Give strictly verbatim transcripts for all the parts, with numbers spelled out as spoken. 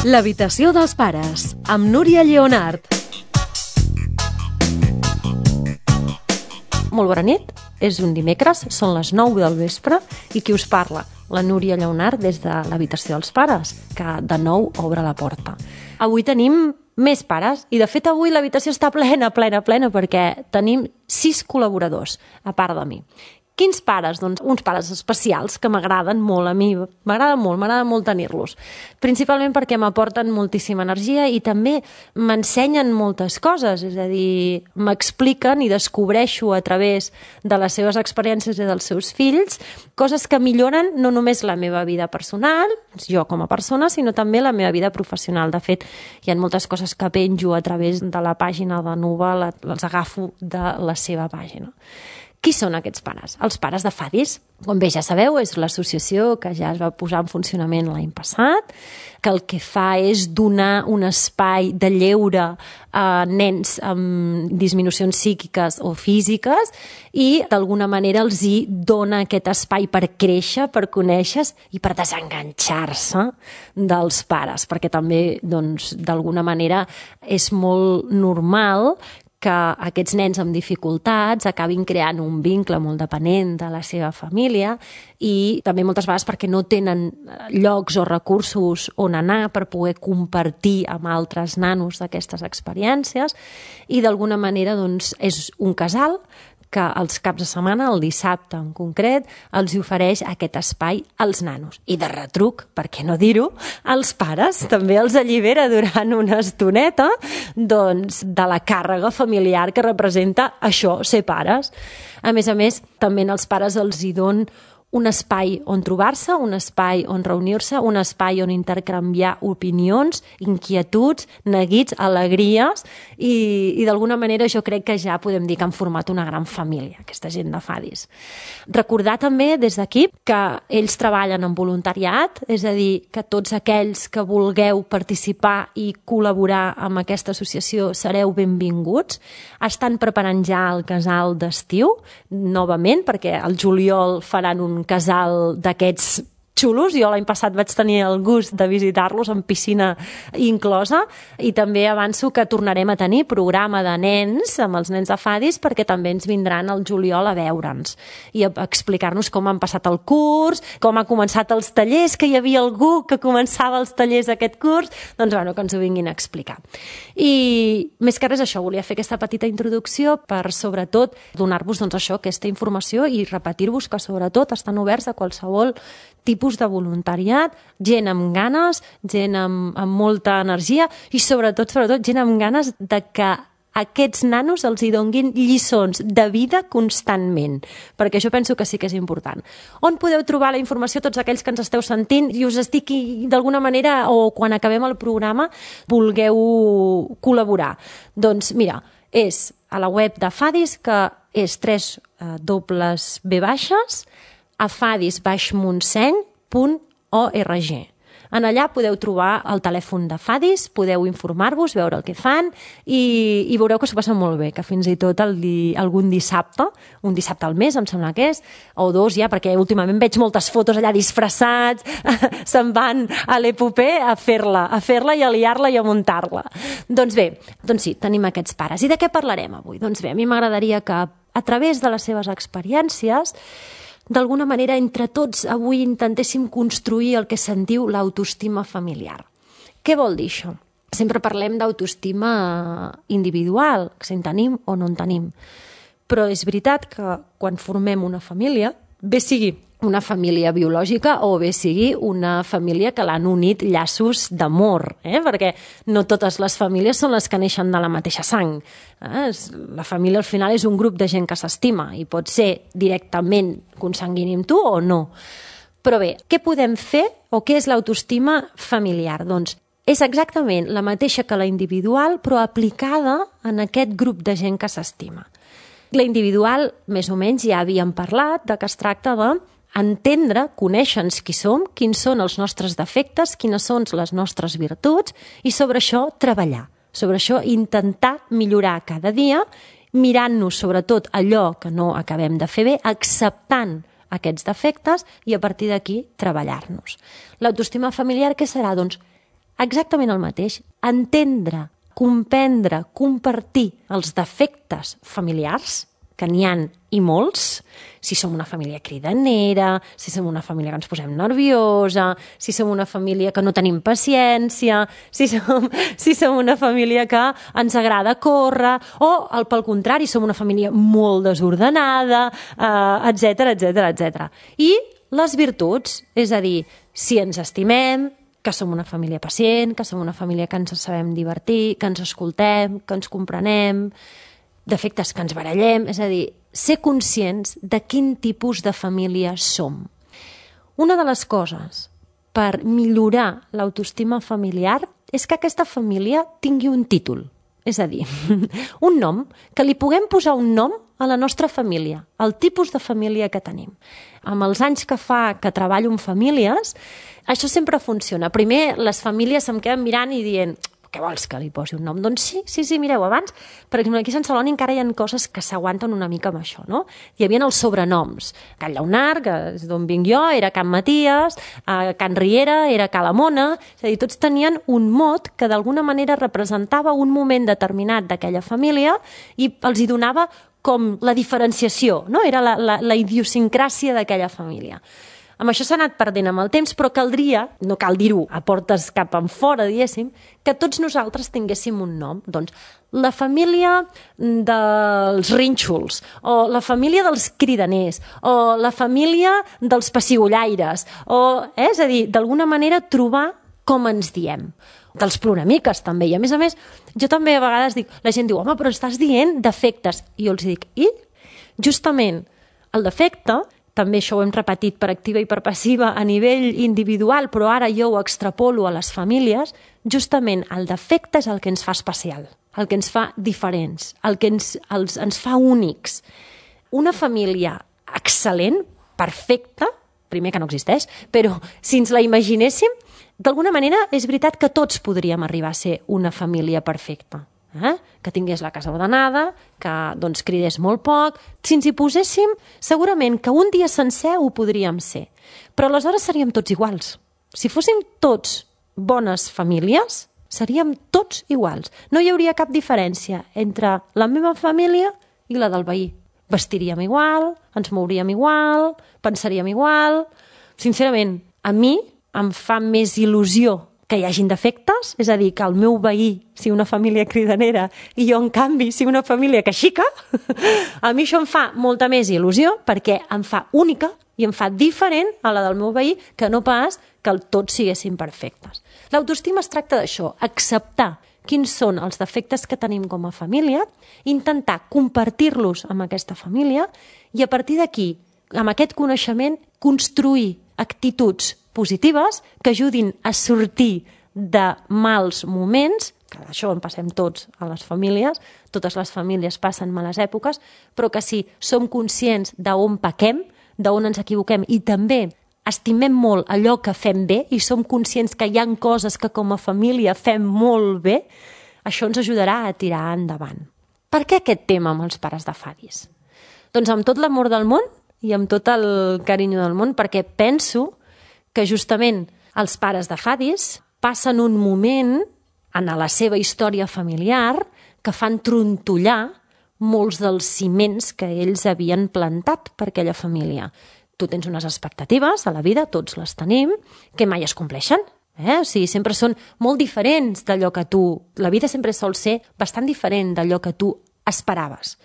L'habitació dels pares, amb Núria Lleonart. Molt bona nit, és un dimecres, són les nou del vespre, i qui us parla? La Núria Lleonart des de l'habitació dels pares, que de nou obre la porta. Avui tenim més pares, i de fet avui l'habitació està plena, plena, plena, perquè tenim sis col·laboradors, a part de mi. Quins pares? Doncs uns pares especials que m'agraden molt a mi, m'agrada molt, m'agrada molt tenir-los. Principalment perquè m'aporten moltíssima energia i també m'ensenyen moltes coses, és a dir, m'expliquen i descobreixo a través de les seves experiències i dels seus fills coses que milloren no només la meva vida personal, jo com a persona, sinó també la meva vida professional. De fet, hi ha moltes coses que penjo a través de la pàgina de Nuva, les agafo de la seva pàgina. Qui són aquests pares? Els pares de Fadis. Com bé ja sabeu, és l'associació que ja es va posar en funcionament l'any passat, que el que fa és donar un espai de lleure a nens amb disminucions psíquiques o físiques i d'alguna manera els hi dona aquest espai per créixer, per conèixer i per desenganxar-se dels pares, perquè també, doncs, d'alguna manera és molt normal que aquests nens amb dificultats acabin creant un vincle molt dependent de la seva família i també moltes vegades perquè no tenen llocs o recursos on anar per poder compartir amb altres nanos d'aquestes experiències i d'alguna manera doncs, és un casal que els caps de setmana, el dissabte en concret, els ofereix aquest espai als nanos. I de retruc, per què no dir-ho, als pares també els allibera durant una estoneta doncs, de la càrrega familiar que representa això, ser pares. A més a més, també als pares els hi don un espai on trobar-se, un espai on reunir-se, un espai on intercanviar opinions, inquietuds, neguits, alegries i, i d'alguna manera jo crec que ja podem dir que han format una gran família, aquesta gent de Fadis. Recordar també des d'aquí que ells treballen en voluntariat, és a dir, que tots aquells que vulgueu participar i col·laborar amb aquesta associació sereu benvinguts. Estan preparant ja el casal d'estiu, novament, perquè al juliol faran un casal d'aquests xulos. Jo l'any passat vaig tenir el gust de visitar-los amb piscina inclosa i també avanço que tornarem a tenir programa de nens amb els nens de Fadis perquè també ens vindran al juliol a veure'ns i a explicar-nos com han passat el curs, com ha començat els tallers, que hi havia algú que començava els tallers aquest curs, doncs bueno, que ens ho vinguin a explicar. I més que res això, volia fer aquesta petita introducció per sobretot donar-vos doncs això, aquesta informació i repetir-vos que sobretot estan oberts a qualsevol tipus de voluntariat, gent amb ganes, gent amb, amb molta energia i sobretot, sobretot, gent amb ganes de que aquests nanos els hi donguin lliçons de vida constantment, perquè això penso que sí que és important. On podeu trobar la informació tots aquells que ens esteu sentint i us estic d'alguna manera o quan acabem el programa vulgueu col·laborar? Doncs mira, és a la web de Fadis, que és tres dobles ve baixes, a fadis baix montseny punt org. En allà podeu trobar el telèfon de Fadis, podeu informar-vos, veure el que fan i, i veureu que s'ho passen molt bé, que fins i tot el di, algun dissabte, un dissabte al mes em sembla que és, o dos ja, perquè últimament veig moltes fotos allà disfressats, se'n van a l'Epopé a fer-la, a fer-la i a liar-la i a muntar-la. Doncs bé, doncs sí, tenim aquests pares. I de què parlarem avui? Doncs bé, a mi m'agradaria que a través de les seves experiències d'alguna manera, entre tots, avui intentéssim construir el que se'n diu l'autoestima familiar. Què vol dir això? Sempre parlem d'autoestima individual, si en tenim o no en tenim. Però és veritat que quan formem una família, bé sigui una família biològica o bé sigui una família que l'han unit llaços d'amor, eh? Perquè no totes les famílies són les que neixen de la mateixa sang. Eh? La família al final és un grup de gent que s'estima i pot ser directament consanguini amb tu o no. Però bé, què podem fer o què és l'autoestima familiar? Doncs és exactament la mateixa que la individual però aplicada en aquest grup de gent que s'estima. La individual, més o menys, ja havíem parlat de que es tracta de entendre, conèixer-nos qui som, quins són els nostres defectes, quines són les nostres virtuts i sobre això treballar, sobre això intentar millorar cada dia, mirant-nos sobretot allò que no acabem de fer bé, acceptant aquests defectes i a partir d'aquí treballar-nos. L'autoestima familiar què serà? Doncs exactament el mateix. Entendre, comprendre, compartir els defectes familiars, que n'hi ha i molts, si som una família cridanera, si som una família que ens posem nerviosa, si som una família que no tenim paciència, si som, si som una família que ens agrada córrer, o al, pel contrari, som una família molt desordenada, eh, etcètera, etcètera, etcètera. I les virtuts, és a dir, si ens estimem, que som una família pacient, que som una família que ens sabem divertir, que ens escoltem, que ens comprenem, defectes que ens barallem, és a dir, ser conscients de quin tipus de família som. Una de les coses per millorar l'autoestima familiar és que aquesta família tingui un títol, és a dir, un nom, que li puguem posar un nom a la nostra família, el tipus de família que tenim. Amb els anys que fa que treballo en famílies, això sempre funciona. Primer, les famílies se'm queden mirant i dient què vols que li posi un nom? Doncs sí, sí, sí, mireu, abans, per exemple, aquí a Sant Celoni encara hi ha coses que s'aguanten una mica amb això, no? Hi havia els sobrenoms. Can Lleonard, que és d'on vinc jo, era Can Maties, eh, Can Riera era Ca la Mona, és a dir, tots tenien un mot que d'alguna manera representava un moment determinat d'aquella família i els hi donava com la diferenciació, no? Era la, la, la idiosincràsia d'aquella família. Amb això s'ha anat perdent amb el temps, però caldria, no cal dir-ho a portes cap en fora, diguéssim, que tots nosaltres tinguéssim un nom. Doncs la família dels rínxols, o la família dels cridaners, o la família dels pessigolaires, o, eh? És a dir, d'alguna manera trobar com ens diem. Dels ploramiques també, i a més a més jo també a vegades dic, la gent diu, home, però estàs dient defectes, i jo els dic, i? Justament el defecte, també això ho hem repetit per activa i per passiva a nivell individual, però ara jo ho extrapolo a les famílies, justament el defecte és el que ens fa especial, el que ens fa diferents, el que ens, els, ens fa únics. Una família excel·lent, perfecta, primer que no existeix, però si ens la imaginéssim, d'alguna manera és veritat que tots podríem arribar a ser una família perfecta. Eh? Que tingués la casa ordenada, que doncs, cridés molt poc. Si ens hi poséssim, segurament que un dia sencer ho podríem ser. Però aleshores seríem tots iguals. Si fóssim tots bones famílies, seríem tots iguals. No hi hauria cap diferència entre la meva família i la del veí. Vestiríem igual, ens mouríem igual, pensaríem igual. Sincerament, a mi em fa més il·lusió que hi hagin defectes, és a dir, que el meu veí sigui una família cridanera i jo, en canvi, sigui una família que xica, a mi això em fa molta més il·lusió perquè em fa única i em fa diferent a la del meu veí que no pas que tots siguessin perfectes. L'autoestima es tracta d'això, acceptar quins són els defectes que tenim com a família, intentar compartir-los amb aquesta família i a partir d'aquí, amb aquest coneixement, construir actituds positives que ajudin a sortir de mals moments, que d'això en passem tots a les famílies, totes les famílies passen males èpoques, però que si som conscients d'on pequem, d'on ens equivoquem i també estimem molt allò que fem bé i som conscients que hi ha coses que com a família fem molt bé, això ens ajudarà a tirar endavant. Per què aquest tema amb els pares de Fadis? Doncs amb tot l'amor del món i amb tot el carinyo del món, perquè penso que justament els pares de Fadis passen un moment en la seva història familiar que fan trontollar molts dels ciments que ells havien plantat per aquella família. Tu tens unes expectatives a la vida, tots les tenim, que mai es compleixen. Eh? O sigui, sempre són molt diferents d'allò que tu... La vida sempre sol ser bastant diferent d'allò que tu esperaves.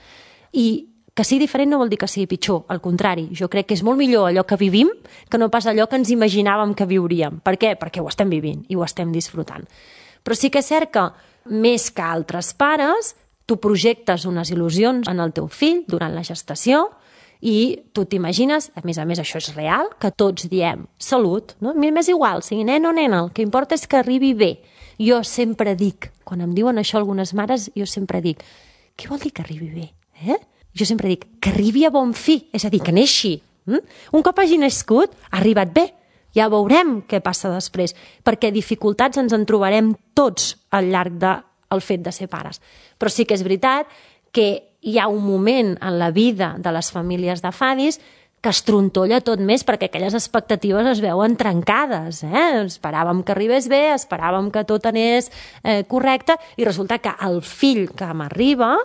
I que sigui diferent no vol dir que sigui pitjor, al contrari. Jo crec que és molt millor allò que vivim que no pas allò que ens imaginàvem que viuríem. Per què? Perquè ho estem vivint i ho estem disfrutant. Però sí que és cert que, més que altres pares, tu projectes unes il·lusions en el teu fill durant la gestació i tu t'imagines, a més a més això és real, que tots diem salut, no? A mi m'és igual, sigui nen o nena, el que importa és que arribi bé. Jo sempre dic, quan em diuen això algunes mares, jo sempre dic, què vol dir que arribi bé? Eh? Jo sempre dic, que arribi a bon fi, és a dir, que neixi. Mm? Un cop hagi nascut, ha arribat bé. Ja veurem què passa després, perquè dificultats ens en trobarem tots al llarg del fet de ser pares. Però sí que és veritat que hi ha un moment en la vida de les famílies de Fadis que es trontolla tot més perquè aquelles expectatives es veuen trencades. Eh? Esperàvem que arribés bé, esperàvem que tot anés eh, correcte i resulta que el fill que m'arriba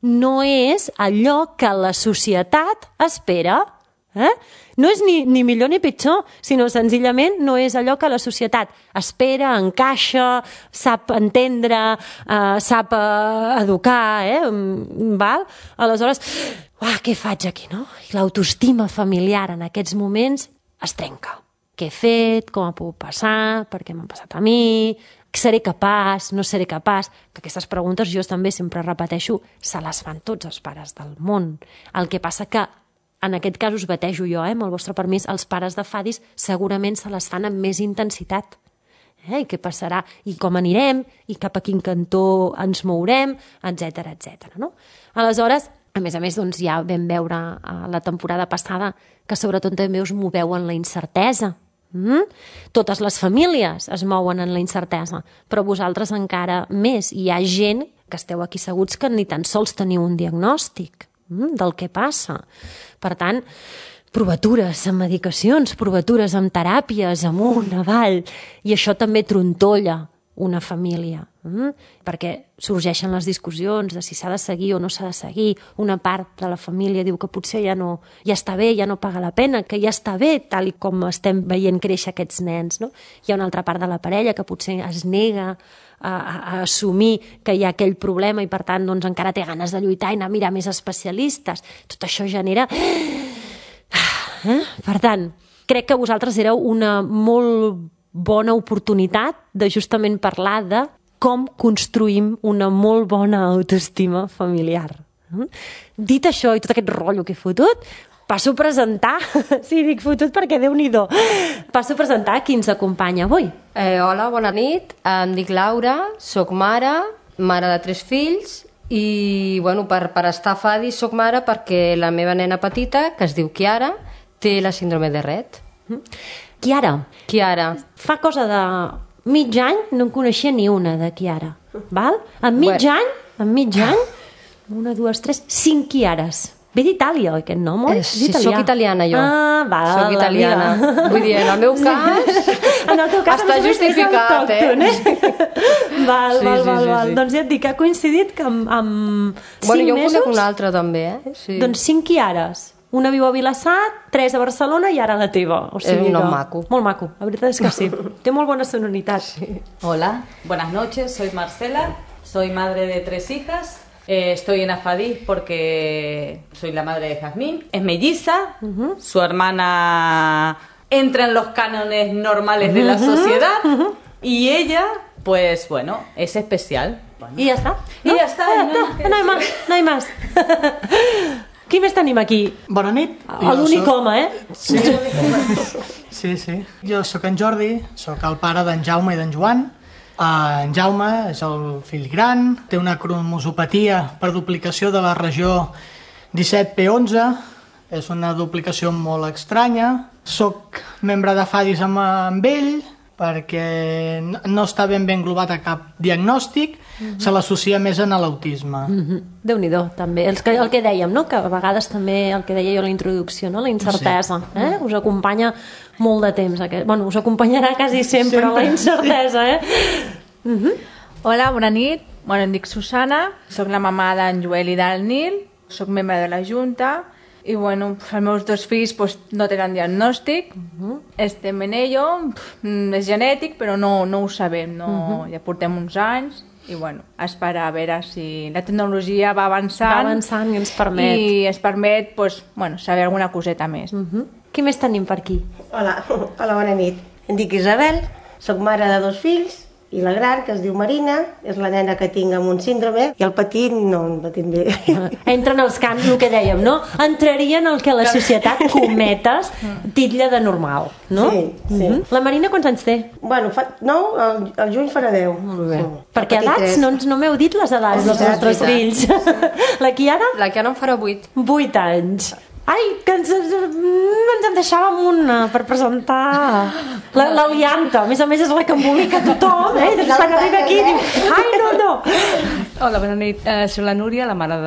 no és allò que la societat espera. Eh? No és ni, ni millor ni pitjor, sinó senzillament no és allò que la societat espera, encaixa, sap entendre, eh, sap eh, educar, eh? Val? Aleshores, uah, què faig aquí, no? I l'autoestima familiar en aquests moments es trenca. Què he fet? Com ha pogut passar? Per què m'ha passat a mi? Seré capaç? No seré capaç? Que aquestes preguntes jo també sempre repeteixo, se les fan tots els pares del món. El que passa que en aquest cas us batejo jo, eh, amb el vostre permís, els pares de fadis segurament se les fan amb més intensitat. Eh? I què passarà? I com anirem? I cap a quin cantó ens mourem? Etcètera, etcètera. No? Aleshores, a més a més, doncs, ja vam veure a la temporada passada que sobretot també us moveu en la incertesa. Mm? Totes les famílies es mouen en la incertesa, però vosaltres encara més. Hi ha gent que esteu aquí seguts que ni tan sols teniu un diagnòstic del que passa. Per tant, provatures amb medicacions, provatures amb teràpies, amunt, avall, i això també trontolla una família, mm? perquè sorgeixen les discussions de si s'ha de seguir o no s'ha de seguir. Una part de la família diu que potser ja no, ja està bé, ja no paga la pena, que ja està bé, tal i com estem veient créixer aquests nens. No? Hi ha una altra part de la parella que potser es nega a, a, a assumir que hi ha aquell problema i per tant doncs, encara té ganes de lluitar i anar a mirar més especialistes. Tot això genera... Eh? Per tant, crec que vosaltres éreu una molt bona oportunitat de justament parlar de com construïm una molt bona autoestima familiar. Dit això i tot aquest rotllo que he fotut, passo a presentar, sí, dic fotut perquè Déu-n'hi-do, passo a presentar qui ens acompanya avui. Eh, hola, bona nit, em dic Laura, soc mare, mare de tres fills i bueno, per, per estar a Fadi soc mare perquè la meva nena petita, que es diu Chiara, té la síndrome de Rett. Chiara. Chiara. Fa cosa de mig any no en coneixia ni una de Chiara. Val? En mig bueno. any, en mig any, una, dues, tres, cinc Chiares. Ve d'Itàlia, aquest nom, oi? Eh, sí, soc italiana, jo. Ah, va, soc italiana. Mira. Vull dir, en el meu cas, en el teu cas està justificat, eh? eh? Val, sí, val, sí, val, sí, val. sí. Doncs ja et dic que ha coincidit que amb, amb bueno, cinc jo mesos... Jo conec una altra, també, eh? Sí. Doncs cinc Chiares. Una viu a Vilassar, tres a Barcelona i ara la teva. O sigui es un nom que... maco. Molt maco, la veritat és que sí. Té molt bona sonoritat. Sí. Hola, buenas noches, soy Marcela, soy madre de tres hijas. Eh, estoy en Afadí porque soy la madre de Jazmín. Es melliza, uh-huh. Su hermana entra en los cánones normales uh-huh. de la sociedad uh-huh. y ella, pues bueno, es especial. Bueno. I ja està. I no? ja està. Ah, no, no, no hi més, no hi més. Qui més tenim aquí? Bona nit. L'únic soc... home, eh? Sí. sí, sí. Jo sóc en Jordi, sóc el pare d'en Jaume i d'en Joan. Uh, en Jaume és el fill gran, té una cromosopatia per duplicació de la regió disset P onze, és una duplicació molt estranya. Soc membre de Fadis amb, amb ell, perquè no està ben ben englobat a cap diagnòstic, mm-hmm. se l'associa més en l'autisme. Mm-hmm. Déu-n'hi-do, també. El que, el que dèiem, no? Que a vegades també, el que deia jo a la introducció, no? La incertesa, sí. eh? Us acompanya molt de temps. Aquest... Bueno, us acompanyarà quasi sempre, sempre. La incertesa, eh? Mm-hmm. Hola, bona nit. Bueno, em dic Susana, soc la mamà d'en Joel i del Nil, soc membre de la Junta, i bueno, els meus dos fills pues, no tenen diagnòstic, uh-huh. estem en ello, és genètic però no, no ho sabem, no, uh-huh. ja portem uns anys i bueno, esperar a veure si la tecnologia va avançant, va avançant i ens permet, i es permet pues, bueno, saber alguna coseta més. Uh-huh. Qui més tenim per aquí? Hola, hola, bona nit. Em dic Isabel, soc mare de dos fills, i la gran, que es diu Marina, és la nena que tinc amb un síndrome, i el petit no, no tinc bé. Entren els camps, el que dèiem, no? Entrarien el que la societat cometes titlla de normal, no? Sí, sí. Uh-huh. La Marina quants anys té? Bueno, fa nou, el, el juny farà deu. Molt bé. Sí. Perquè edats, no, no m'heu dit les edats dels vostres fills. La Chiara? La Chiara en farà vuit. Vuit anys. Ai, que ens, ens en deixàvem una per presentar l'Alianta. A més a més és la que embolica tothom, eh? Quan arriba aquí diu, ai, no, no, no. Hola, bona nit. Uh, soc la Núria, la mare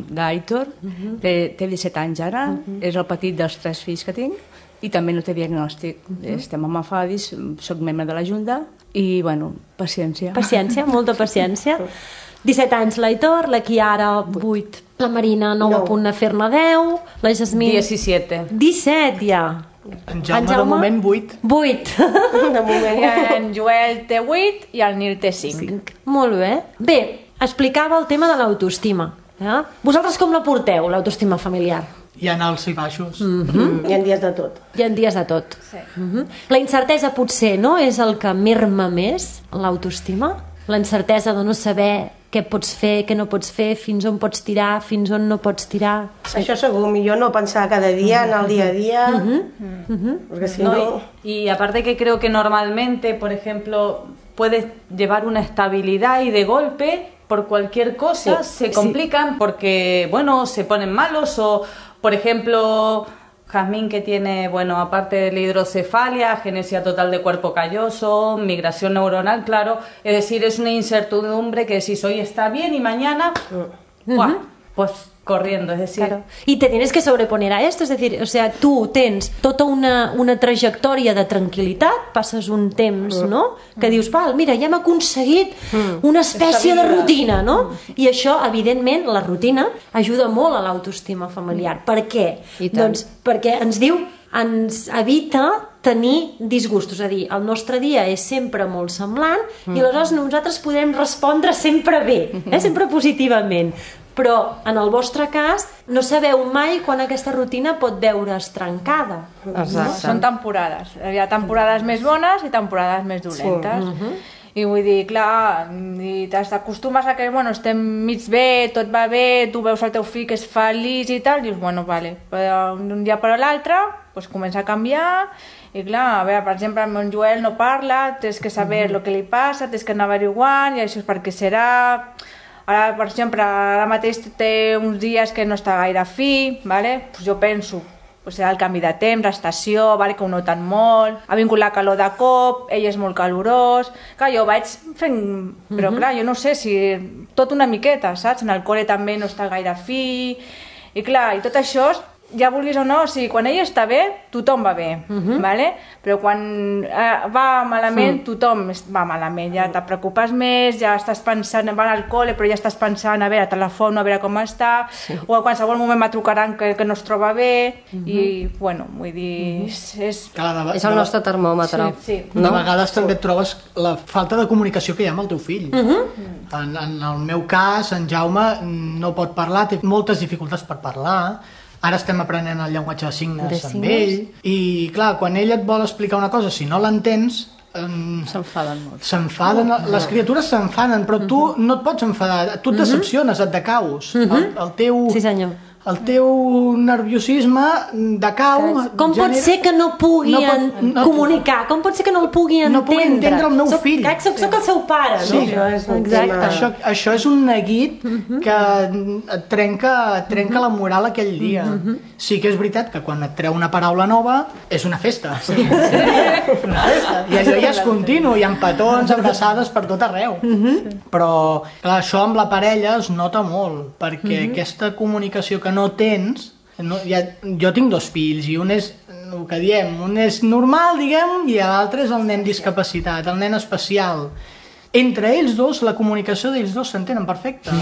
d'Aitor. Uh -huh. té, té disset anys ara, uh -huh. és el petit dels tres fills que tinc i també no té diagnòstic. Uh -huh. Estem amb Afadis, soc membre de la Junta i, bueno, paciència. Paciència, molta paciència. disset anys l'Aitor, la Chiara vuit, la Marina nou a punt de fer-ne deu, la Jasmine... diecisiete. disset ja. En Jaume, de moment, vuit. vuit. De moment ja en Joel té vuit i el Nil té cinc. Molt bé. Bé, explicava el tema de l'autoestima. Eh? Vosaltres com la porteu, l'autoestima familiar? Hi ha alts i baixos. Mm -hmm. Hi ha dies de tot. Hi ha dies de tot. Sí. Mm -hmm. La incertesa potser, no?, és el que merma més l'autoestima. La incertesa de no saber què pots fer, què no pots fer, fins on pots tirar, fins on no pots tirar. Sí. Això segur, millor no pensar cada dia en el día a día, Uh-huh. Uh-huh. Porque si No, no... y, y aparte que creo que normalmente, por ejemplo, puedes llevar una estabilidad y de golpe, por cualquier cosa, Sí, se sí. complican porque, bueno, se ponen malos o, por ejemplo... Jazmín, que tiene, bueno, aparte de la hidrocefalia, genesia total de cuerpo calloso, migración neuronal, claro, es decir, es una incertidumbre que si hoy está bien y mañana, ¡buah! Pues corriendo, es decir... Claro. Y te tienes que sobreponer a esto, es decir, o sea, tu tens tota una, una trajectòria de tranquil·litat, passes un temps, no?, que dius, val, mira, ja hem aconseguit una espècie de rutina, no? I això, evidentment, la rutina ajuda molt a l'autoestima familiar. Per què? I tant. Doncs perquè ens diu, ens evita tenir disgustos, és a dir, el nostre dia és sempre molt semblant i aleshores nosaltres podem respondre sempre bé, eh? Sempre positivament. Però en el vostre cas no sabeu mai quan aquesta rutina pot veure's trencada. Exacte. Són temporades. Hi ha temporades més bones i temporades més dolentes. Sí. I vull dir, clar, i t'acostumes a que, bueno, estem mig bé, tot va bé, tu veus el teu fill que és feliç i tal, dius, bueno, vale, però d'un dia per l'altre pues, comença a canviar i clar, a veure, per exemple, el meu Joel no parla, tens que saber el que li passa, tens que anar averiguant i això és perquè serà... Ara, per exemple, ara mateix té uns dies que no està gaire fi, vale? Pues jo penso, pues serà el canvi de temps, l'estació, vale? Que ho noten molt, ha vingut la calor de cop, ell és molt calorós... Clar, jo vaig fent... Però clar, jo no sé si... Tot una miqueta, saps? En el col·le també no està gaire fi... I clar, i tot això... Ja vulguis o no, o sigui, quan ell està bé, tothom va bé, uh-huh. vale? Però quan eh, va malament, sí. tothom va malament, ja te preocupes més, ja estàs pensant, va al col·le, però ja estàs pensant, a veure, telefon, a veure com està, sí. o a qualsevol moment me trucaran que, que no es troba bé, uh-huh. i, bueno, vull dir, és... és... Cada, És el nostre termòmetre. Sí, sí. No? De vegades també et trobes la falta de comunicació que hi ha amb el teu fill. Uh-huh. En, en el meu cas, en Jaume no pot parlar, té moltes dificultats per parlar. Ara estem aprenent el llenguatge de signes, de amb signes ell. I, clar, quan ell et vol explicar una cosa, si no l'entens... Eh, S'enfaden molt. S'enfaden, uh-huh. les criatures s'enfaden, però tu uh-huh. no et pots enfadar, tu et decepciones, et decaus. Uh-huh. el, el teu... Sí, senyor. El teu nerviosisme decau... Com pot genera... ser que no pugui no pot, no, comunicar? Com pot ser que no el pugui entendre? No pugui entendre el meu soc, fill. Crec que soc, soc el seu pare, Sí, no? Això és un Exacte. tema... Això, això és un neguit que et trenca, et trenca la moral aquell dia. Sí que és veritat que quan et treu una paraula nova és una festa. Sí. Una festa. I allò ja és continu, hi ha petons, abraçades per tot arreu. Però clar, això amb la parella es nota molt, perquè aquesta comunicació que no tens... No, ja, jo tinc dos fills i un és el que diem, un és normal, diguem, i l'altre és el nen discapacitat, el nen especial. Entre ells dos, la comunicació d'ells dos s'entenen perfecte.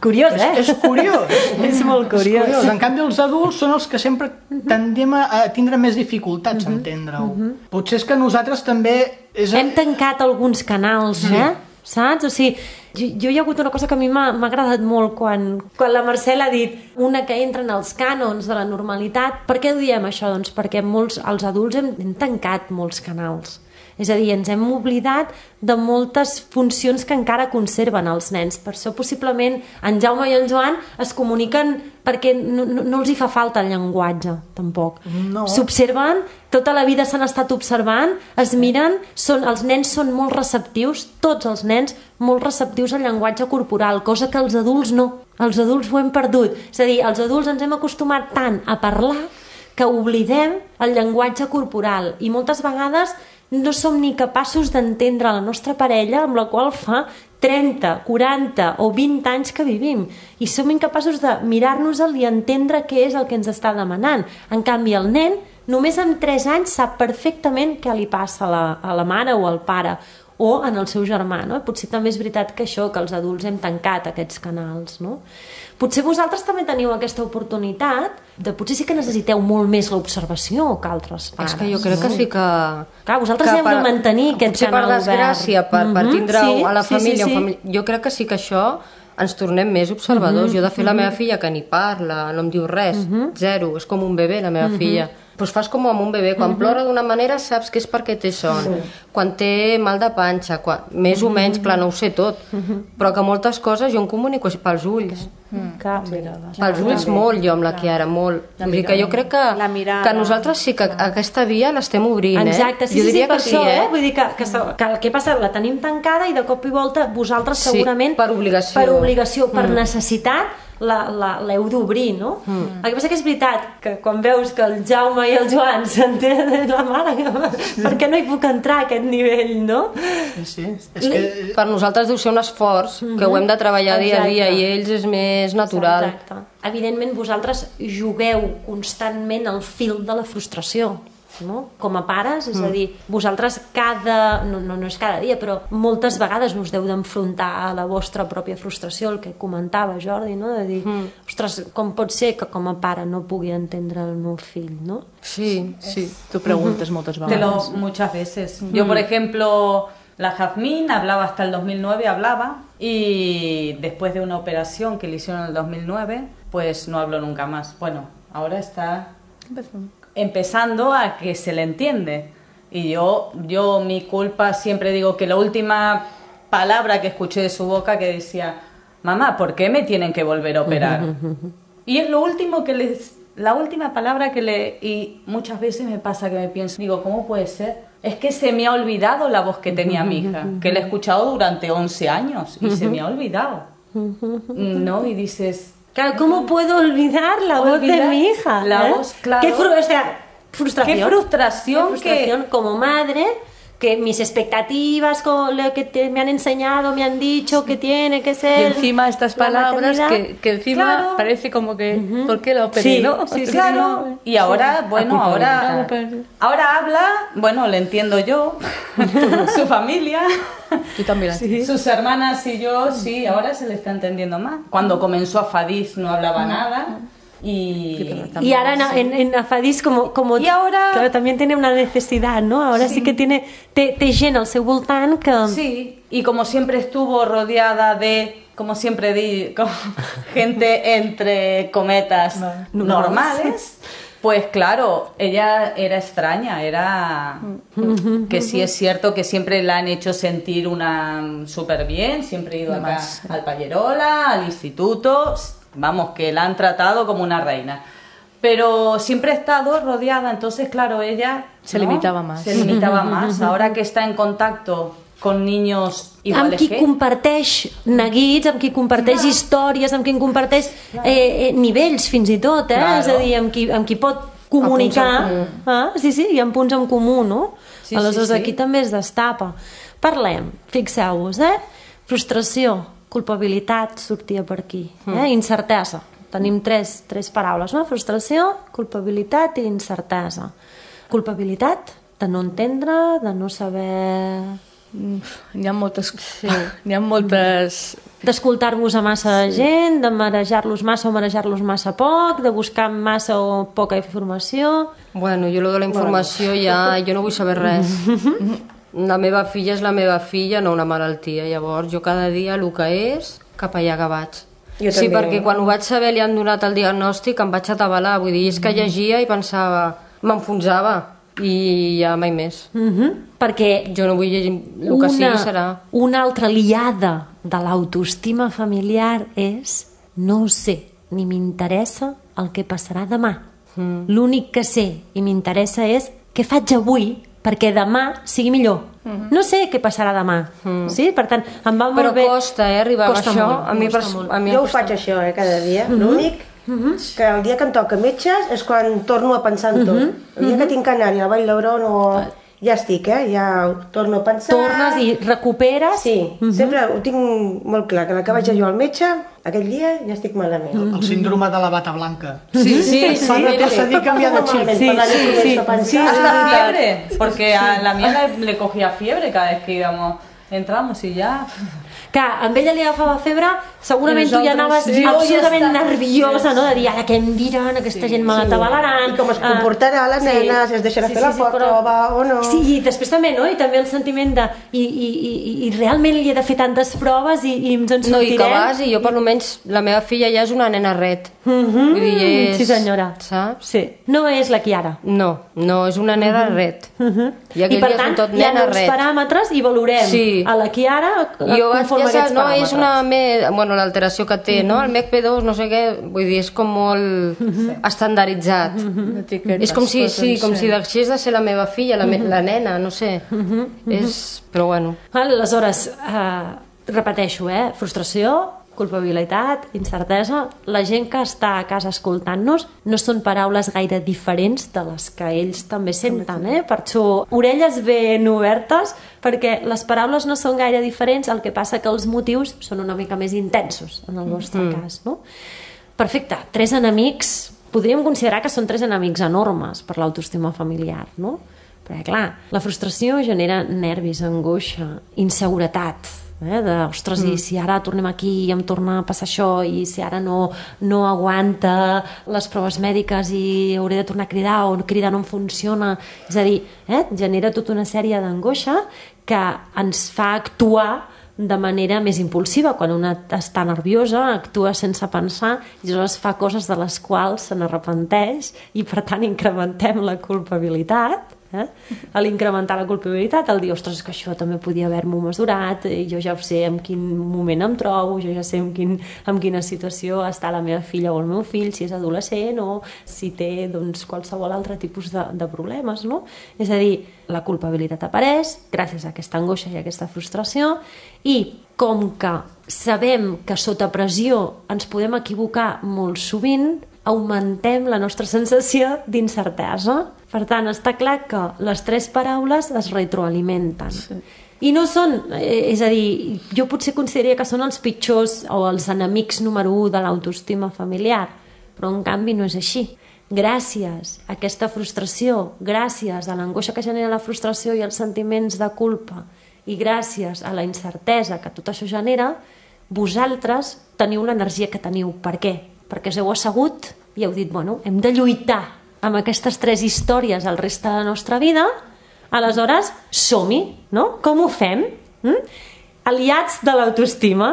Curiós, eh? És, és curiós. És molt curiós. És curiós. En canvi, els adults són els que sempre tendem a tindre més dificultats a entendre-ho. Potser és que nosaltres també... És... Hem tancat alguns canals, eh? Saps? O sigui, jo, jo hi ha hagut una cosa que a mi m'ha agradat molt quan, quan la Mercè ha dit una que entra en els cànons de la normalitat. Per què ho diem això? Doncs perquè molts, els adults hem, hem tancat molts canals. És a dir, ens hem oblidat de moltes funcions que encara conserven els nens. Per això possiblement en Jaume i en Joan es comuniquen perquè no, no, no els hi fa falta el llenguatge, tampoc. No. S'observen, tota la vida s'han estat observant, es miren, són, els nens són molt receptius, tots els nens molt receptius al llenguatge corporal, cosa que els adults no. Els adults ho hem perdut. És a dir, els adults ens hem acostumat tant a parlar que oblidem el llenguatge corporal i moltes vegades no som ni capaços d'entendre la nostra parella, amb la qual fa trenta, quaranta o vint anys que vivim i som incapaços de mirar-nos-el i entendre què és el que ens està demanant. En canvi, el nen només amb tres anys sap perfectament què li passa a la, a la mare o al pare o en el seu germà, no? Potser també és veritat que això, que els adults hem tancat aquests canals, no? Potser vosaltres també teniu aquesta oportunitat de potser sí que necessiteu molt més l'observació que altres pares. És que jo crec no? que sí que... Clar, vosaltres que heu de mantenir aquest canal obert. Potser per desgràcia, per, per tindre mm -hmm, sí, a la família, sí, sí, sí. família... Jo crec que sí que això ens tornem més observadors. Mm -hmm, jo, de fet, la meva filla, que ni parla, no em diu res, mm -hmm. zero, és com un bebè, la meva mm -hmm. filla. Doncs fas com amb un bebè, quan mm-hmm. plora d'una manera saps que és perquè té son, sí. quan té mal de panxa, quan... més o menys, clar, no ho sé tot, mm-hmm. però que moltes coses jo em comunico pels ulls. Mm. Sí. Pels ulls també. Molt, jo amb la Chiara, molt. Vull dir que jo crec que, que nosaltres sí que aquesta via l'estem obrint, eh? Exacte, sí, jo sí, diria sí, per que això, sí, eh? eh? Vull dir que, que, que el que passa, la tenim tancada i de cop i volta vosaltres sí, segurament... per obligació. Per obligació, per mm. necessitat, l'heu d'obrir, no? Mm. El que passa que és veritat que quan veus que el Jaume i el Joan s'entenen la mare, per què no hi puc entrar a aquest nivell, no? Sí, és que... Per nosaltres deu ser un esforç mm-hmm. que ho hem de treballar dia a dia i ells és més natural. Exacte. Evidentment vosaltres jugueu constantment al fil de la frustració, no? Com a pares, és mm. a dir, vosaltres cada, no, no, no és cada dia, però moltes vegades us deu d'enfrontar a la vostra pròpia frustració, el que comentava Jordi, no? De dir, mm. ostres, com pot ser que com a pare no pugui entendre el meu fill, no? Sí, sí. Tu preguntes mm-hmm. moltes vegades. Te lo, muchas veces. Mm. Yo, por ejemplo, la Jazmín hablaba hasta el dos mil nueve, hablaba, y después de una operación que le hicieron en el dos mil nueve, pues no habló nunca más. Bueno, ahora está... empezando a que se le entiende. Y yo, yo, mi culpa, siempre digo que la última palabra que escuché de su boca que decía, mamá, ¿por qué me tienen que volver a operar? Y es lo último que les, la última palabra que le, y muchas veces me pasa que me pienso, digo, ¿cómo puede ser? Es que se me ha olvidado la voz que tenía mi hija, que la he escuchado durante once años y se me ha olvidado, ¿no? Y dices... Claro, ¿cómo puedo olvidar la voz olvidar de mi hija? La ¿eh? voz, claro. Qué, fru o sea, frustración. Qué frustración. Qué frustración que... como madre, que mis expectativas, con lo que te, me han enseñado, me han dicho que tiene que ser... Y encima estas palabras que, que encima claro. parece como que... Uh-huh. ¿Por qué lo operé, sí, no? Sí, sí, claro. Sí. Y ahora, sí. bueno, ahora... Ahora habla, bueno, le entiendo yo, su familia... Tú también. Sí. Sus hermanas y yo, sí, ahora se le está entendiendo más. Cuando comenzó Afadís no hablaba uh-huh. nada... Y, y ahora en, en, en Afadís como, como y ahora claro, también tiene una necesidad, ¿no? Ahora sí, sí que tiene te, te llena el seu voltant que... Sí, y como siempre estuvo rodeada de, como siempre di, como gente entre cometas no, normales, pues claro, ella era extraña, era que sí es cierto que siempre la han hecho sentir una súper bien, siempre he ido acá al Pallerola, al instituto... Vamos, que la han tratado como una reina. Pero siempre ha estado rodeada, entonces, claro, ella... Se ¿no? limitava más. Se limitava más. Ahora que está en contacto con niños iguales amb qui que... comparteix neguits, amb qui comparteix clar. Històries, amb qui comparteix eh, eh, nivells, fins i tot, eh? Claro. És a dir, amb qui, amb qui pot comunicar... Ah, sí, sí, hi ha punts en comú, no? Sí, aleshores, sí, sí. Aquí també es destapa. Parlem, fixeu-vos, eh? Frustració, culpabilitat sortia per aquí, eh? Mm. Incertesa, tenim tres, tres paraules, no? Frustració, culpabilitat i incertesa. Culpabilitat de no entendre, de no saber... N'hi ha moltes... Sí. N'hi ha moltes... D'escoltar-vos a massa sí. gent, de marejar-los massa o marejar-los massa poc, de buscar massa o poca informació... Bueno, jo lo de la informació bueno. ja... Jo no vull saber res. La meva filla és la meva filla, no una malaltia. Llavors, jo cada dia el que és, cap allà que vaig. Jo sí, també. Perquè quan ho vaig saber li han donat el diagnòstic, em vaig atabalar. Vull dir, és que llegia i pensava... M'enfonsava. I ja mai més. Mm-hmm. Perquè... Jo no vull llegir... El que una, sigui serà... Una altra liada de l'autoestima familiar és... No sé, ni m'interessa el que passarà demà. Mm. L'únic que sé i m'interessa és què faig avui perquè demà sigui millor. Mm-hmm. No sé què passarà demà. Mm. Sí? Per tant, em va molt Però bé... costa, eh, arribar costa a això. Molt, a mi costa pers... molt. A mi jo ho costa. faig això, eh, cada dia. Mm-hmm. L'únic mm-hmm. que el dia que em toca metges és quan torno a pensar en tot. Mm-hmm. El dia que tinc anari a Vall d'Hebron o... ja estic, eh? Ja ho torno a pensar. Tornes i recuperes? Sí, uh -huh. sempre ho tinc molt clar, que la que vaig jo al metge, aquell dia ja estic malament. Uh -huh. El síndrome de la bata blanca. Sí, sí, sí. Van a procedir a cambiar de xip. Sí, sí, sí. Sí, hasta fiebre, porque a la mía le, le cogía fiebre cada vez que íbamos, entramos y ya... Que a ella li agafava febre, segurament tu ja anaves sí, absolutament ja nerviosa, no? De dir, ara què em diran, aquesta gent me l'atabalaran... I com es comportarà la nena, si es deixarà fer la prova o no... Sí, i després també, no? I també el sentiment de... I, i, i, i realment li he de fer tantes proves i, i ens en sortirem... No, i que vas, i jo per almenys, la meva filla ja és una nena ret. Mm-hmm. Vull dir, és... Sí, senyora. Saps? Sí. No és la Chiara. No, no, és una nena ret. Mm-hmm. I aquell I per dia tant, són tot hi ha nena uns ret. paràmetres i valorem Sí. a la Chiara Jo vaig, conforme ja a saps, aquests no, paràmetres. és una... Me... Bueno, l'alteració que té, no? El M E C P dos, no sé què, vull dir, és com molt estandarditzat. És com si, sí, com si deixés de ser la meva filla, la, me... la nena, no sé. És... Però bueno. Aleshores, eh, repeteixo, eh? Frustració, culpabilitat, incertesa. La gent que està a casa escoltant-nos no són paraules gaire diferents de les que ells també senten, eh? Per això, orelles ben obertes, perquè les paraules no són gaire diferents, el que passa que els motius són una mica més intensos, en el vostre mm. cas, no? Perfecte, tres enemics, podríem considerar que són tres enemics enormes per l'autoestima familiar, no? Perquè, clar, la frustració genera nervis, angoixa, inseguretat, eh? de, ostres, mm. i si ara tornem aquí i em torna a passar això, i si ara no, no aguanta les proves mèdiques i hauré de tornar a cridar, o cridar no em funciona, és a dir, eh? genera tota una sèrie d'angoixa que ens fa actuar de manera més impulsiva. Quan una està nerviosa, actua sense pensar i llavors fa coses de les quals se n'arrepenteix i per tant incrementem la culpabilitat. Eh? A l'incrementar la culpabilitat, al dir, ostres, que això també podia haver-m'ho mesurat, jo ja sé en quin moment em trobo, jo ja sé en, quin, en quina situació està la meva filla o el meu fill, si és adolescent o si té doncs, qualsevol altre tipus de, de problemes, no? És a dir, la culpabilitat apareix gràcies a aquesta angoixa i a aquesta frustració, i com que sabem que sota pressió ens podem equivocar molt sovint, augmentem la nostra sensació d'incertesa. Per tant, està clar que les tres paraules es retroalimenten. Sí. I no són, és a dir, jo potser consideraria que són els pitjors o els enemics número u de l'autoestima familiar, però en canvi no és així. Gràcies a aquesta frustració, gràcies a l'angoixa que genera la frustració i els sentiments de culpa, i gràcies a la incertesa que tot això genera, vosaltres teniu l'energia que teniu. Per què? Perquè us heu assegut i heu dit, bueno, hem de lluitar amb aquestes tres històries el reste de la nostra vida, aleshores som-hi, no? Com ho fem? Mm? Aliats de l'autoestima,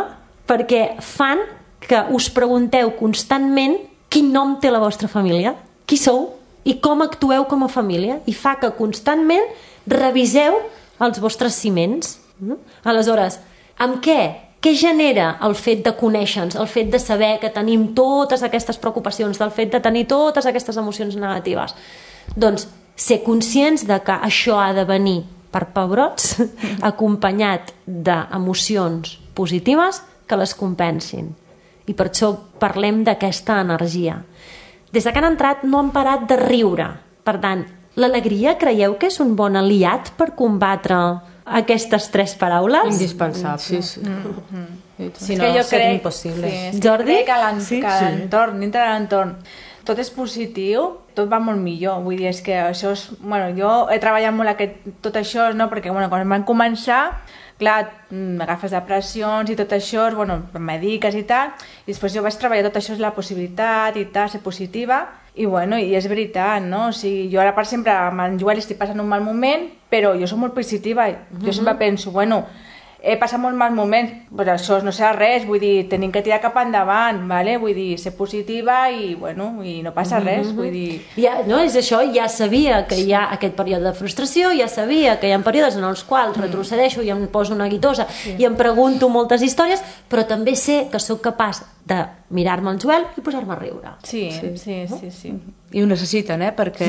perquè fan que us pregunteu constantment quin nom té la vostra família, qui sou i com actueu com a família, i fa que constantment reviseu els vostres ciments. Mm? Aleshores, amb què? Què genera el fet de conèixer-nos, el fet de saber que tenim totes aquestes preocupacions, del fet de tenir totes aquestes emocions negatives? Doncs ser conscients de que això ha de venir per pebrots, acompanyat d'emocions positives que les compensin. I per això parlem d'aquesta energia. Des que han entrat no han parat de riure. Per tant, l'alegria creieu que és un bon aliat per combatre aquestes tres paraules? Indispensable. Sí, sí. Mm-hmm. Si És no, que jo seria crec, impossible. Sí, és Jordi? que crec que l'en- Sí, que sí. l'entorn, dintre de l'entorn, tot és positiu, tot va molt millor. Vull dir, és que això és... Bueno, jo he treballat molt aquest, tot això, no? Perquè bueno, quan van començar, clar, mm, agafes depressions i tot això, bueno, mediques i tal, i després jo vaig treballar tot això, és la possibilitat i tal, ser positiva, i bueno, i és veritat, no? O sigui, jo ara per sempre amb en Joel estic passant un mal moment, però jo soc molt positiva, i jo sempre penso, bueno, he passat molt mal moments, però això no serà res, vull dir, tenim que tirar cap endavant, vale? Vull dir, ser positiva i, bueno, i no passa res, vull dir... Ja, no, és això, ja sabia que hi ha aquest període de frustració, ja sabia que hi ha períodes en els quals retrocedeixo i em poso una guitosa sí. i em pregunto moltes històries, però també sé que sóc capaç de mirar-me al Joel i posar-me a riure. Sí, sí, sí, sí. sí. I ho necessiten, eh? Perquè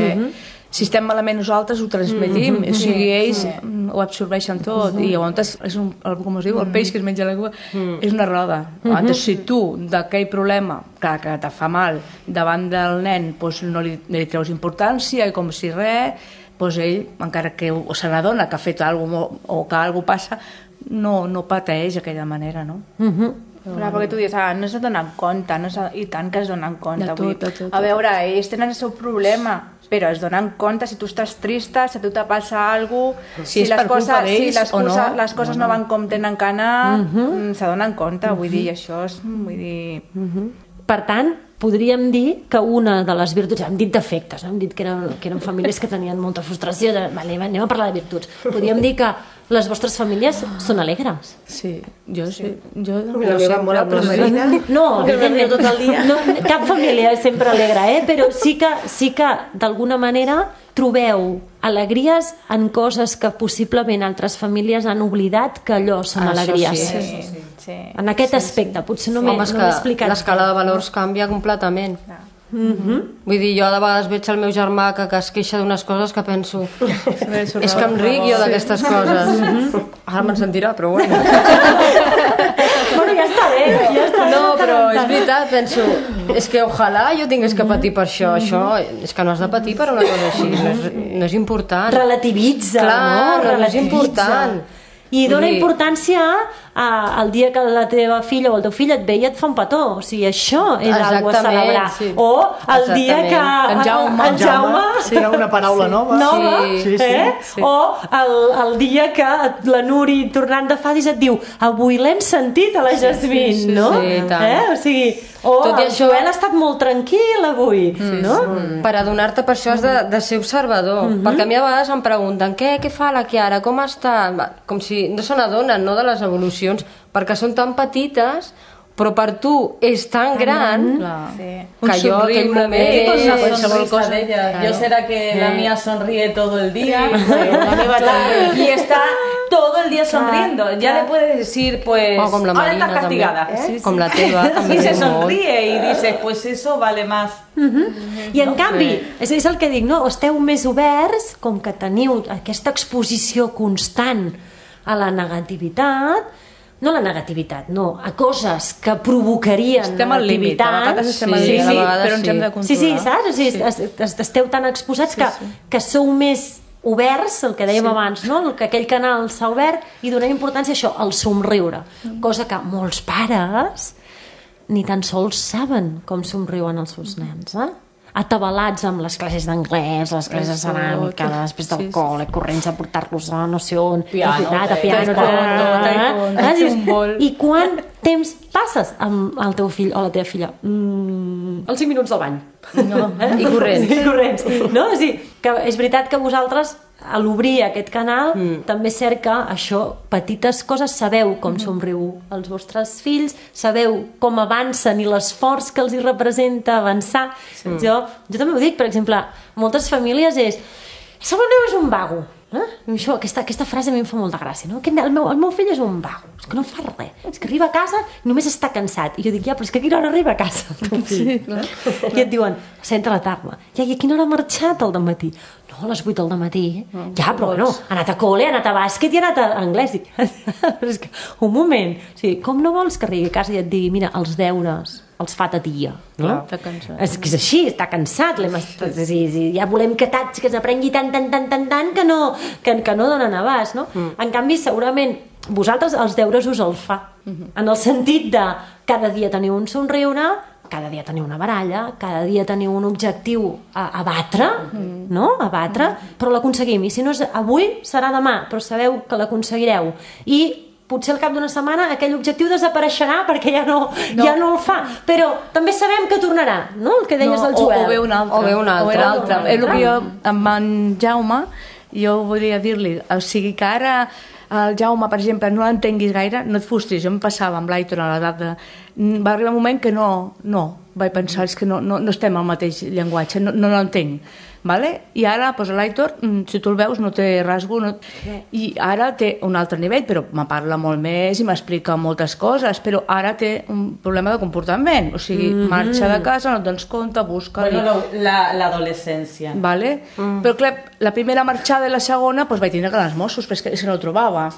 si estem malament nosaltres ho transmetim, o sigui, ells ho absorbeixen tot, i llavors és un, com es diu, el peix que es menja la cua, és una roda. Llavors, si tu d'aquell problema que, que te fa mal davant del nen doncs no li, no li treus importància i com si res, doncs ell, encara que se n'adona que ha fet alguna cosa o que alguna cosa passa, no, no pateix d'aquella manera, no? Mhm. Clar, perquè tu dius, ah, no s'ha donat compte, no i tant que es donen compte. De tot, vull dir, de tot, a veure, ells tenen el seu problema, però es donen compte si tu estàs trista, si a tu te passa alguna cosa, Si és per culpa d'ells si les o no. coses, les coses no van com tenen que anar, Mhm. se donen compte, vull dir, això és, vull dir... Per tant, podríem dir que una de les virtuts, hem dit defectes, no? Hem dit que eren, que eren famílies que tenien molta frustració, de, vale, anem a parlar de virtuts. Podríem dir que les vostres famílies són alegres. Sí, jo sí. Jo, La meva molt amb la Marina. No, evidentment, tot el dia. no, cap família és sempre alegre, eh? Però sí que, sí que d'alguna manera trobeu alegries en coses que possiblement altres famílies han oblidat que allò són Això alegries. sí. Sí, sí, sí. En aquest aspecte, potser no m'he Home, és no m'he que explicat. l'escala de valors canvia completament. Vull dir, jo de vegades veig el meu germà que, que es queixa d'unes coses que penso és que em ric jo d'aquestes coses. Ara me'n sentirà, però bueno. Bueno, ja està bé, ja està bé. No, però és veritat, penso, és que ojalà jo tingués que patir per això. Això és que no has de patir per una cosa així, no és, no és important. Relativitza, Clar, no? no, no és Relativitza. important. I dona Vull dir- importància a, al dia que la teva filla o el teu fill et ve i et fa un petó. O sigui, això és algo a Exactament, celebrar. sí. O el dia que Exactament. En Jaume, en Jaume Sí, era una paraula nova. nova, Sí, sí, eh? sí. O el, el dia que la Nuri, tornant de Fadis, et diu avui l'hem sentit a la Jasmine, sí, no? sí, i tant. Eh? O sigui, o Tot i el això- Joel ha estat molt tranquil avui, no? Per adonar-te per això has de, de ser observador, perquè a mi a vegades em pregunten què, què fa la Chiara, com està? Va, com si no se n'adonen, no, de les evolucions, perquè són tan petites, però per tu és tan gran Sí. que jo aquell moment... Es una qualsevol sonrisa cosa- de ella. Claro. Yo será que la mía sonríe todo el día. La meva també. Y está todo el día sonriendo. Ya le puedes decir, pues, O com la ahora Marina estás castigada. també. Com la teva també. Y se molt. sonríe y dices, pues eso vale más. I en canvi, és, és el que dic, no? Esteu més oberts, com que teniu aquesta exposició constant a la negativitat, no a la negativitat, no, a coses que provocarien Estem al límit, a negativitat. vegades estem al Sí, límit, sí, a sí, vegades però ens sí. hem de controlar. Sí, sí, saps? O sigui, es- es- esteu tan exposats que, que sou més oberts, el que dèiem abans, no? El que aquell canal s'ha obert i donem importància a això, al somriure, cosa que molts pares ni tan sols saben com somriuen els seus nens, eh? Atabalats amb les classes d'anglès, les classes de ceràmica, després del Sí, sí. col·le, corrents a portar-los a no sé on, Piano, de veritat, a taekwondo, piano, taekwondo, eh? taekwondo, Dius, futbol. I quant temps passes amb el teu fill o la teva filla? Mm, els cinc minuts del bany. No, i corrents. I corrents. No? O sigui, que és veritat que vosaltres, a l'obrir aquest canal, mm. també és cert que això, petites coses, sabeu com somriu els vostres fills, sabeu com avancen i l'esforç que els hi representa avançar. Sí. Jo, jo també ho dic, per exemple, moltes famílies és el meu neu és un vago. Eh? Això, aquesta, aquesta frase a mi em fa molta gràcia, no? Aquest, el, meu, el meu fill és un vago, és que no fa res, és que arriba a casa i només està cansat. I jo dic, ja, però és que a quina hora arriba a casa el teu fill? Sí, no? I et diuen, senta la tarda. Ja, i a quina hora ha marxat el dematí? No, a les vuit del matí. Oh, ja, però bueno, ha anat a col·le, ha anat a bàsquet i ha anat a anglès. Dic, però és que, un moment, o sigui, com no vols que arribi a casa i et digui, mira, els deures els fa ta tia, no? Clar, està cansat. És que és així, està cansat, l'hem estat, sí, sí, ja volem que tats, que s'aprengui tant, tant, tant, tant, tant, que no, que, que no donen abast, no? Mm. En canvi, segurament, vosaltres els deures us els fa, mm-hmm. en el sentit de cada dia teniu un somriure, cada dia teniu una baralla, cada dia teniu un objectiu a, a batre, mm. no? A batre, mm. però l'aconseguim, i si no és avui, serà demà, però sabeu que l'aconseguireu, i potser al cap d'una setmana aquell objectiu desapareixerà perquè ja no, no. ja no el fa, però també sabem que tornarà, no? El que deies No, del o, Joel. o ve un altre. O ve un altre. O era altre. O un És el que jo, altre. amb en Jaume, jo volia dir-li, o sigui que ara el Jaume, per exemple, no l'entenguis gaire, no et frustris, jo em passava amb l'Aitor a l'edat de... Va arribar un moment que no, no, vaig pensar, és que no, no, no estem al mateix llenguatge, no, no l'entenc. Vale? I ara pues, l'Aitor, si tu el veus, no té rasgo, no... i ara té un altre nivell, però me parla molt més i m'explica moltes coses, però ara té un problema de comportament, o sigui, mm -hmm. marxa de casa, no et dones compte, busca... Bueno, lo- la, la adolescencia. Vale? Mm. Però clar, la primera marxada i la segona pues, vaig tindre que anar als Mossos, però és que, és que no el trobava.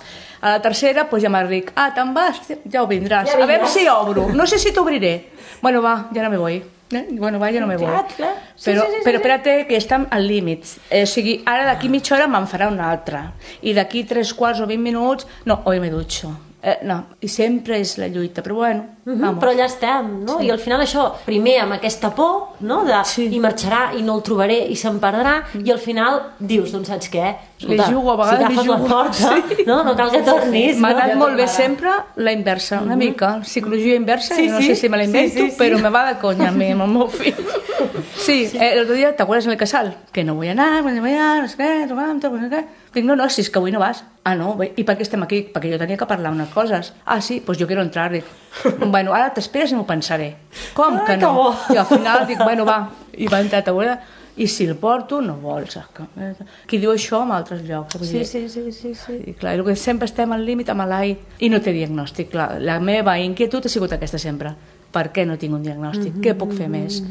A la tercera pues, ja m'ha dit, ah, te'n vas? Ja ho vindràs. Ja A veure vindràs. si obro. No sé si t'obriré. Bueno, va, ja no me voy. Eh? Bueno, va, jo no me vol. Clar, clar. Sí, però, sí, sí, sí, però sí. espérate que estem al límit. Eh, o sigui, ara d'aquí mitja hora me'n farà una altra. I d'aquí tres quarts o vint minuts, no, hoy me dutxo. Eh, no, i sempre és la lluita, però bueno, Uh -huh, vamos. però allà estem, no? Sí. I al final això, primer amb aquesta por, no? De, Sí. i marxarà i no el trobaré i se'n perdrà, i al final dius, doncs saps què? Li jugo, a vegades si li agafes la jugo. porta, Sí. no? No cal que tornis. M'ha no? anat molt bé sempre la inversa, una mica. Psicologia inversa, Sí, no sí. sé si me la invento, Sí, sí, sí. però me va de conya a mi, amb el meu fill. Sí, eh, el otro día, ¿te acuerdas en el casal? Que no voy a anar, no voy a anar, no sé què, no sé què. Dic, no, no, si és que avui no vas. Ah, no, bé, i per què estem aquí? Perquè jo tenia que parlar unes coses. Ah, sí, pues yo quiero entrar. Dic, bueno, ara t'esperes i m'ho pensaré. Com que no? I al final dic, bueno, va, i va entrar a taula. I si el porto, no vol, saps? Qui diu això en altres llocs? Sí, sí, sí, sí, sí. I clar, que sempre estem al límit amb l'A I i no té diagnòstic, clar. La meva inquietud ha sigut aquesta sempre. Per què no tinc un diagnòstic? Mm -hmm. Què puc fer més?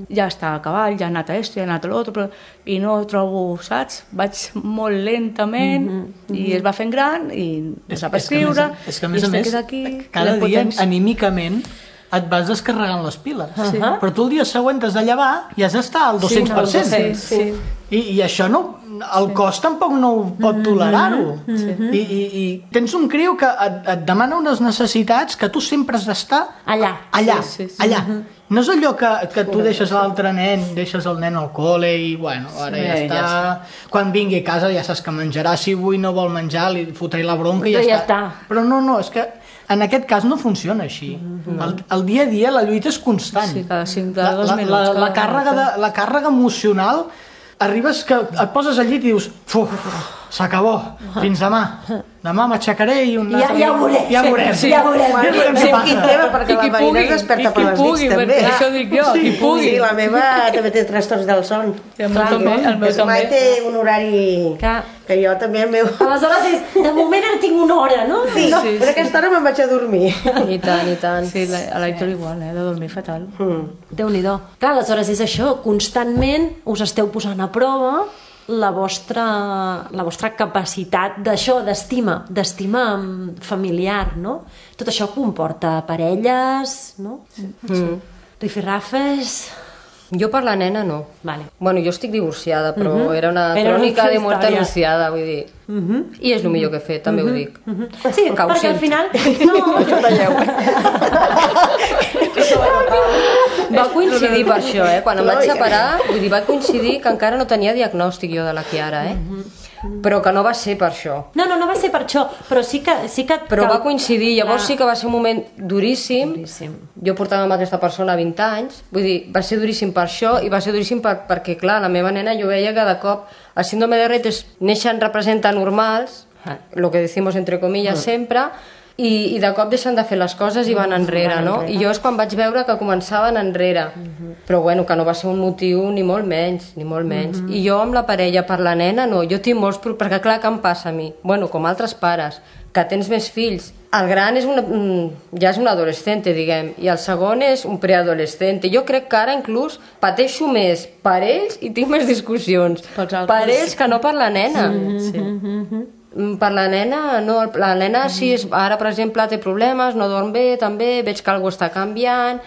Ja està a cavall, ja ha anat a esto, ja ha anat a l'altre, però... i no trobo, saps? Vaig molt lentament mm -hmm. i es va fent gran i no sap escriure, és que a més i a més, es aquí, cada la dia potència. anímicament et vas descarregant les piles. Sí. Però tu el dia següent t'has de llevar i has d'estar al dos-cents per cent. Sí, sí. I, I això no, el cos tampoc no ho pot tolerar-ho. I, i, I tens un criu que et, et demana unes necessitats que tu sempre has d'estar Allà. allà, Sí, sí, sí. allà. No és allò que, que tu deixes l'altre nen, deixes el nen al col·le i, bueno, ara Sí, ja, ja està. està. Quan vingui a casa ja saps que menjarà. Si avui no vol menjar, li fotré la bronca i ja, Però ja està. està. Però no, no, és que en aquest cas no funciona així. El, el dia a dia la lluita és constant. Sí, cada cinc, la, cada dos la, minuts, La, cada la, càrrega de, la càrrega emocional, arribes que et poses al llit i dius, uf, s'acabó, fins demà. Demà m'aixecaré i un Ja- altre... ja ho veurem. Ja veurem. Sí, ja veurem. Ja veurem Sí, què quin passa. tema, perquè I la qui Marina pugui, es desperta i per qui les pugui, nits, també. perquè això dic jo, qui pugui. Sí, la meva també té trastorns del son. I el meu també, el meu És mai també. té un horari Clar. que jo també el meu... Aleshores, és, de moment en tinc una hora, no? Sí, no. sí, però a aquesta hora me'n vaig a dormir. I tant, i tant. Sí, la, a l'Aitor igual, eh, de dormir fatal. Mm. Déu-n'hi-do. Clar, aleshores és això, constantment us esteu posant a prova la vostra, la vostra capacitat d'això, d'estima, d'estima familiar, no? Tot això comporta parelles, no? Mm. Rifirrafes... Jo per la nena no. Vale. Bueno, jo estic divorciada, però uh -huh. era una Era una crònica altra de muerte història. anunciada, vull dir. Uh -huh. I és el millor que he fet, també uh -huh. ho dic. Uh -huh. Sí, Que ho perquè al sento. final... No, Va coincidir per això, eh? Quan em vaig separar, vull dir, va coincidir que encara no tenia diagnòstic jo de la Chiara, eh? Però que no va ser per això. no, no, no va ser per això, però sí que... Sí que Però cal- va coincidir, llavors Clar. sí que va ser un moment duríssim. Duríssim. Jo portava amb aquesta persona vint anys, vull dir, va ser duríssim per això i va ser duríssim per, perquè, clar, la meva nena jo veia que de cop el síndrome de Rett és, neixen representa normals, lo que decimos entre comillas sempre, i, i de cop deixen de fer les coses i van enrere, no? I jo és quan vaig veure que començaven enrere. Però bueno, que no va ser un motiu ni molt menys, ni molt menys. I jo amb la parella per la nena, no, jo tinc molts... pro- Perquè clar, què em passa a mi? Bueno, com altres pares, que tens més fills. El gran és una, mm, ja és un adolescente, diguem, i el segon és un preadolescente. Jo crec que ara inclús pateixo més per ells i tinc més discussions. Pels altres. Per ells que no per la nena. Sí. Mm, Per la nena, no, la nena sí, és, ara per exemple té problemes, no dorm bé també, veig que alguna està canviant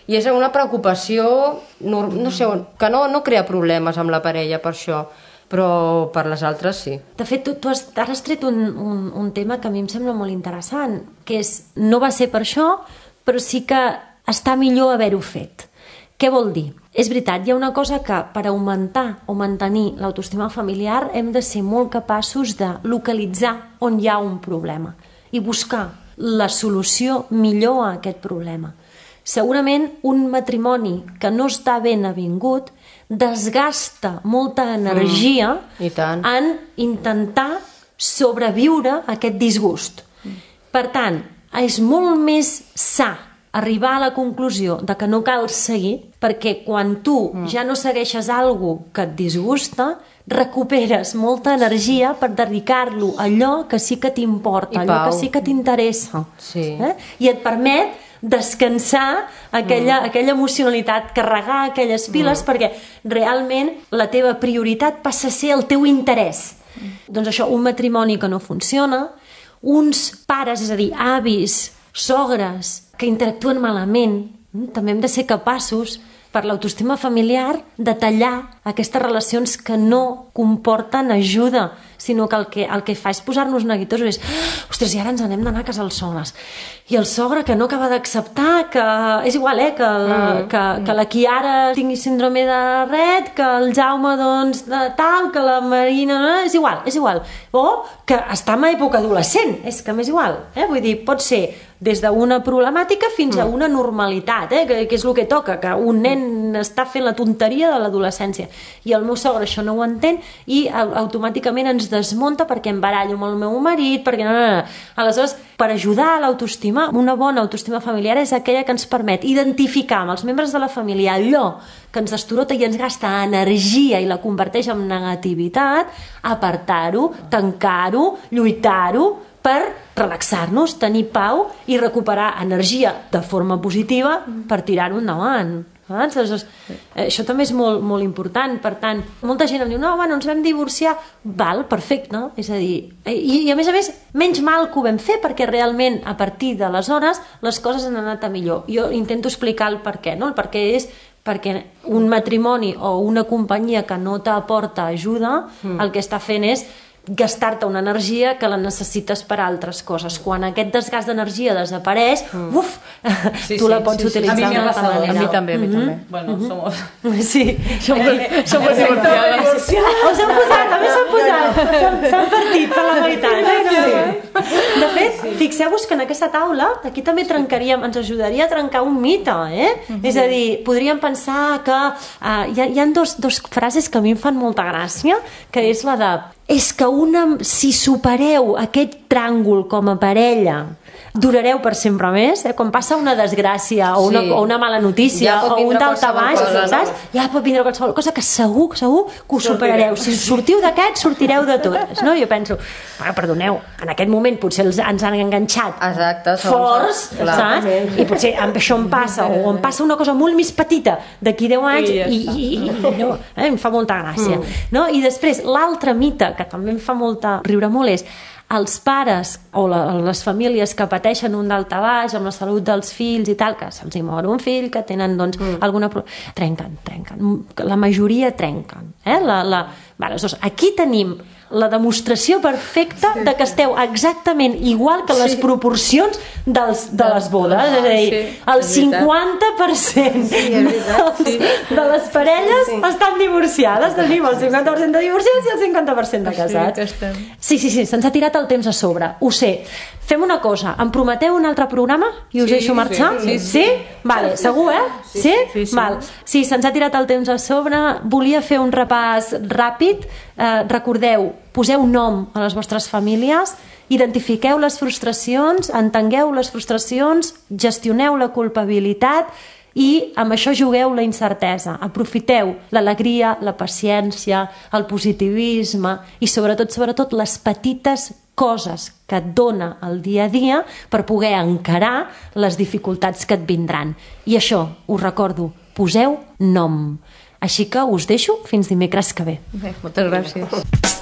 i és una preocupació, no, no sé, que no, no crea problemes amb la parella per això, però per les altres sí. De fet, tu, tu has, ara has tret un, un, un tema que a mi em sembla molt interessant, que és, no va ser per això, però sí que està millor haver-ho fet. Què vol dir? És veritat, hi ha una cosa que per augmentar o mantenir l'autoestima familiar hem de ser molt capaços de localitzar on hi ha un problema i buscar la solució millor a aquest problema. Segurament un matrimoni que no està ben avingut desgasta molta energia Mm, i tant. en intentar sobreviure a aquest disgust. Per tant, és molt més sa arribar a la conclusió de que no cal seguir, perquè quan tu mm. ja no segueixes alguna que et disgusta, recuperes molta energia per dedicar-lo a allò que sí que t'importa, I allò pau. que sí que t'interessa. Sí. Eh? I et permet descansar aquella, mm. aquella emocionalitat, carregar aquelles piles, mm. perquè realment la teva prioritat passa a ser el teu interès. Mm. Doncs això, un matrimoni que no funciona, uns pares, és a dir, avis, sogres, que interactuen malament, mm? també hem de ser capaços, per l'autoestima familiar, de tallar aquestes relacions que no comporten ajuda, sinó que el que, el que fa és posar-nos neguitosos, és, ostres, i ara ens n'hem d'anar a casa els sogres. I el sogre que no acaba d'acceptar que... És igual, eh? Que la, mm. que, que la Chiara tingui síndrome de Rett, que el Jaume, doncs, de tal, que la Marina... No, és igual, és igual. O que està en època adolescent, és que m'és igual. Eh? Vull dir, pot ser des d'una problemàtica fins a una normalitat, eh? que, que és el que toca, que un nen està fent la tonteria de l'adolescència. I el meu sogre això no ho entén i automàticament ens desmunta perquè em barallo amb el meu marit, perquè no, no, no. Aleshores, per ajudar a l'autoestima, una bona autoestima familiar és aquella que ens permet identificar amb els membres de la família allò que ens destorota i ens gasta energia i la converteix en negativitat, apartar-ho, tancar-ho, lluitar-ho, per relaxar-nos, tenir pau i recuperar energia de forma positiva per tirar-ho endavant. Aleshores, això també és molt, molt important. Per tant, molta gent em diu, no, bueno, ens vam divorciar. Val, perfecte, no? És a dir, i, i a més a més, menys mal que ho vam fer, perquè realment a partir d'aleshores les coses han anat a millor. Jo intento explicar el per què, no? El per què és perquè un matrimoni o una companyia que no t'aporta ajuda, mm. el que està fent és gastar-te una energia que la necessites per a altres coses. Quan aquest desgast d'energia desapareix, mm. uf, sí, tu la sí, pots sí, utilitzar sí. A mi d'una altra manera. A mi també, a mi també. Mm-hmm. Bueno, mm-hmm. somos... Sí. Somos, somos divorciades. Us han posat, també s'han posat. S'han partit per la meitat. Eh? De fet, fixeu-vos que en aquesta taula, aquí també trencaríem, ens ajudaria a trencar un mite, eh? Mm-hmm. És a dir, podríem pensar que uh, hi ha, hi ha dos, dos frases que a mi em fan molta gràcia, que és la de és que una, si supereu aquest tràngol com a parella, durareu per sempre més, eh? Quan passa una desgràcia o una, sí. o una mala notícia ja o un daltabaix, saps? No? Ja pot vindre qualsevol cosa que segur, segur que ho superareu. Si sortiu d'aquest, sortireu de totes, no? Jo penso, ah, perdoneu, en aquest moment potser els, ens han enganxat Exacte, forts, saps? I potser amb això em passa, o em passa una cosa molt més petita d'aquí deu anys i, i, i, i no, eh? Em fa molta gràcia. Mm. No? I després, l'altre mite que també em fa molta riure molt és els pares o la, les famílies que pateixen un daltabaix amb la salut dels fills i tal, que se'ls hi mor un fill, que tenen doncs mm. alguna... trenquen, trenquen. La majoria trenquen. Eh? La, la... Vale, aleshores, aquí tenim la demostració perfecta sí. de que esteu exactament igual que les sí. proporcions dels, de les bodes. És a dir, sí, el cinquanta per cent sí, dels, sí. de les parelles sí. estan divorciades. Tenim el cinquanta per cent de divorciats i el cinquanta per cent de casats. Sí, sí, sí, se'ns ha tirat el temps a sobre. Ho sé. Fem una cosa, em prometeu un altre programa i us sí, deixo marxar? Sí? sí, sí. sí? Vale, segur, eh? Sí? Sí, sí, sí. Val. Sí, se'ns ha tirat el temps a sobre. Volia fer un repàs ràpid. Eh, recordeu, poseu nom a les vostres famílies, identifiqueu les frustracions, entengueu les frustracions, gestioneu la culpabilitat i amb això jugueu la incertesa. Aprofiteu l'alegria, la paciència, el positivisme i sobretot, sobretot les petites coses que et dona el dia a dia per poder encarar les dificultats que et vindran. I això, us recordo, poseu nom. Així que us deixo fins dimecres que ve. Bé, moltes gràcies.